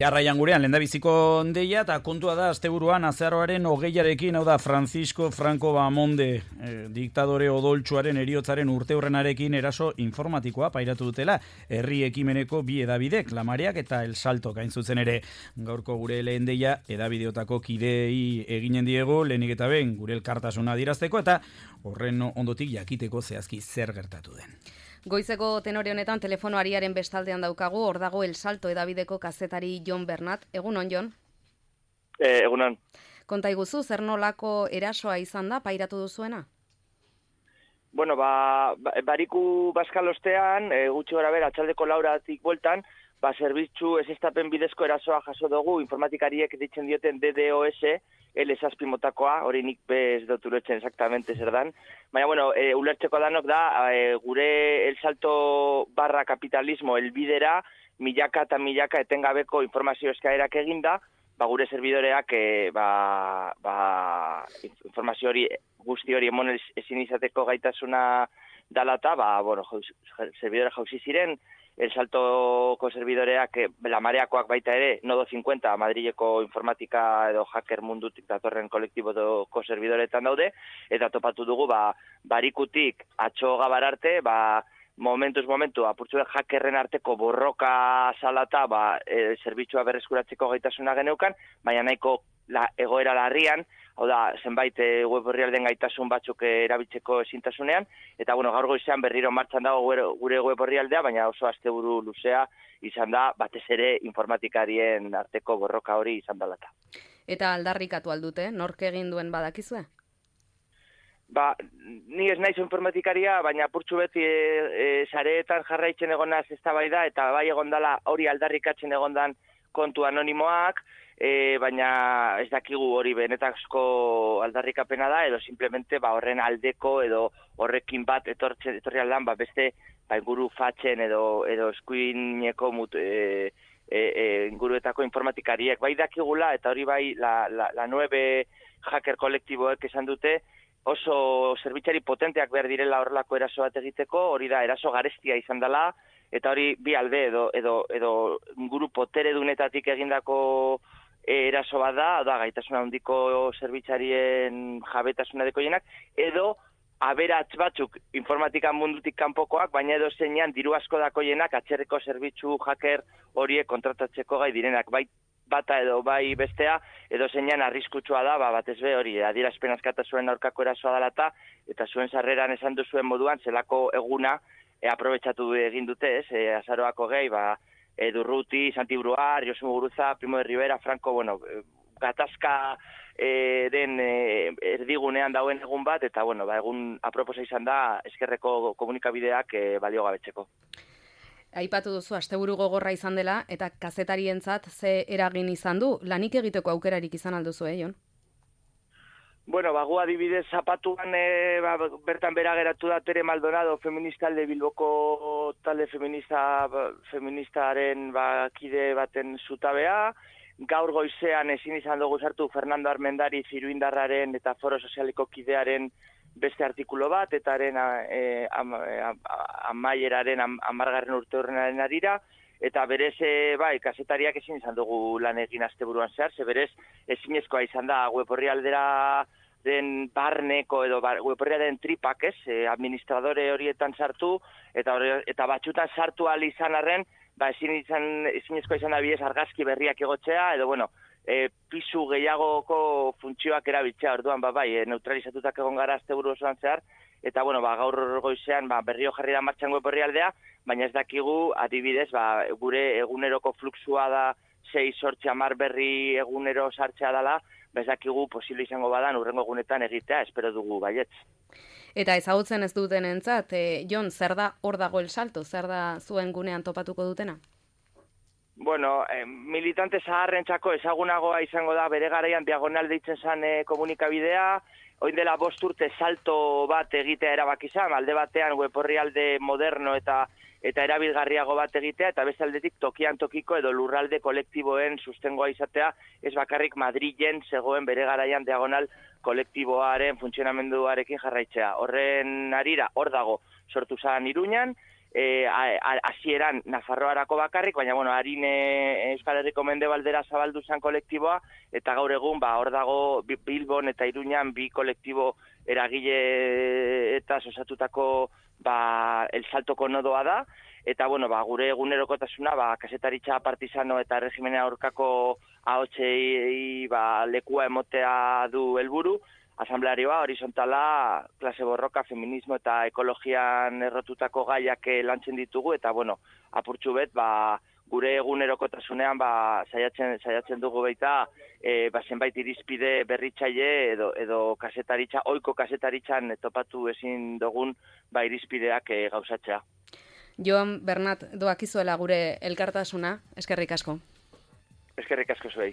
Jarraian gurean, lehendabiziko deia, eta kontua da, asteburuan azaroaren 20arekin, hau da, Francisco Franco Bahamonde, diktadore odoltsuaren eriotzaren urteurrenarekin eraso informatikoa pairatu dutela, herri ekimeneko bi edabidek, La Mareak eta El Salto, gain zuzen ere. Gaurko gure lehen deia, edabideotako kidei eginen diego, lehenik eta behin gure elkartasuna adierazteko, eta horren ondotik jakiteko zehazki zer gertatu den. Goizeko tenore honetan telefono ariaren bestaldean daukagu, hor dago El Salto edabideko kazetari Jon Bernat. Egunon, Jon? Egunon. Konta iguzu, zer nolako erasoa izan da, pairatu duzuena? Bueno, bariku baskalostean, gutxi gara bera, atxaldeko lauratik bueltan, zerbitzu ezestapen bidezko erasoa jaso dugu, informatikariek ditzen dioten DDoS, L6 motakoa, hori nik bez doturetzen exactamente zer dan. Baina, bueno, ulertzeko danok da, gure El Salto barra kapitalismo elbidera, milaka eta milaka etengabeko informazio eskaerak eginda, gure serbidoreak informazio hori, guzti hori emon ezin izateko gaitasuna dalata, bueno, servidora jauzi ziren, El Saltoko serbidoreak, La Mareakoak baita ere, Nodo 50, Madrileko informatika edo hacker mundutik datorren kolektiboko serbidoretan daude, eta topatu dugu, barikutik atxo gabar arte, momentu, apurtzu hackerren arteko borroka salata, zerbitzua berreskuratzeko gaitasuna geneukan, baina nahiko egoera larrian, hau da, zenbait web orrialden gaitasun batzuk erabiltzeko ezintasunean, eta bueno, gaur goizean berriro martxan dago gure web orrialdea, baina oso asteburu luzea izan da, batez ere informatikarien arteko borroka hori izan dalata. Eta aldarrikatu aldute, nork egin duen badakizue? Ni ez naiz informatikaria, baina apurtxu beti sareetan jarraitzen egonaz eztabaida, eta bai egondala hori aldarrikatzen egondan kontu anonimoak, baina ez dakigu hori benetazko aldarrikapena da, edo simplemente horren aldeko edo horrekin bat etorri aldan, beste inguru fatxen edo eskuineko inguruetako informatikariek. Bai dakigula, eta hori bai la 9 hacker kolektiboek esan dute, oso zerbitzari potenteak behar direla horrelako eraso bat egiteko, hori da eraso garestia izan dela, eta hori bi alde edo inguru potere dunetatik egindako eraso bat da gaitasuna handiko zerbitzarien jabetasuna dekoienak, edo aberats batzuk informatika mundutik kanpokoak, baina edo zeinan diru asko dakoienak atzerreko zerbitzu hacker horiek kontratatzeko gai direnak, bai bata edo bai bestea, edo zeinan arriskutsua da, batez be hori, adierazpen askatasuen aurkako erasoa dalata, eta zuen sarreran esan duzuen moduan, zelako eguna aprobetxatu egin dute, azaroako gehi, Durruti, Santi Bruar, Josu Muguruza, Primo de Rivera, Franco, gatazka den erdigunean dauen egun bat, eta egun aproposa izan da eskerreko komunikabideak baliogabetzeko. Aipatu duzu, asteburu gogorra izan dela, eta kazetarientzat ze eragin izan du, lanik egiteko aukerarik izan alduzu, Jon? Gu adibidez zapatuan bertan bera geratu da Tere Maldonado, feminista alde Bilboko talde feministaren kide baten zutabea. Gaur goizean ezin izan dugu sartu Fernando Armendari Ziruindarraren eta Foro Sozialiko kidearen beste artikulo bat, eta amaieraren 10. urteurrenaren arira, eta berez, kazetariak ezin izan dugu lan egin asteburuan zehar, berez ezinezkoa izan da web orrialdera den barneko edo web orrialderen tripak, administradore horietan sartu, eta batxutan sartu ahal izan arren, ezinezkoa izan da bidez argazki berriak egotzea, edo pisu gehiagoko funtzioak erabiltzea, orduan neutralizatutak egon gara asteburu osoan zehar, eta gaur goizean berrio jarri da martxan web orrialdea, baina ez dakigu adibidez gure eguneroko fluxua da 6-10 berri egunero sartzea dela, ez dakigu posible izango badan urrengo egunetan egitea, espero dugu baietz. Eta ezagutzen ez duten entzat, Jon, zer da hor dago El Salto, zer da zuen gunean topatuko dutena? Militante zaharrentzako ezagunagoa izango da bere garaian diagonal deitzen zen komunikabidea, oin dela 5 urte salto bat egitea erabaki izan, alde batean web orrialde moderno eta erabilgarriago bat egitea, eta beste aldetik tokian tokiko edo lurralde kolektiboen sustengoa izatea, ez bakarrik Madrilen zegoen bere garaian diagonal kolektiboaren funtzionamenduarekin jarraitzea. Horren arira, hor dago, sortu zen Iruñan, hasieran Nafarroarako bakarrik, baina bueno, harin Euskal Herriko mendebaldera zabaldu zen kolektiboa, eta gaur egun hor dago Bilbon eta Iruñan bi kolektibo eragile eta osatutako El Saltoko nodoa da, eta bueno, gure egunerokotasuna kazetaritza partisano eta regimenen aurkako ahotsei lekua emotea du helburu. Asamblearioa, horizontala, klase borroka, feminismo eta ekologian errotutako gaiak lantzen ditugu, eta bueno, apurtxu bet, gure egunerokotasunean saiatzen dugu baita, zenbait irizpide berritzaile edo kasetaritza, ohiko kasetaritzan topatu ezin dugun irizpideak gauzatzea. Jon Bernat, doakizuela gure elkartasuna, eskerrik asko. Eskerrik asko zuei.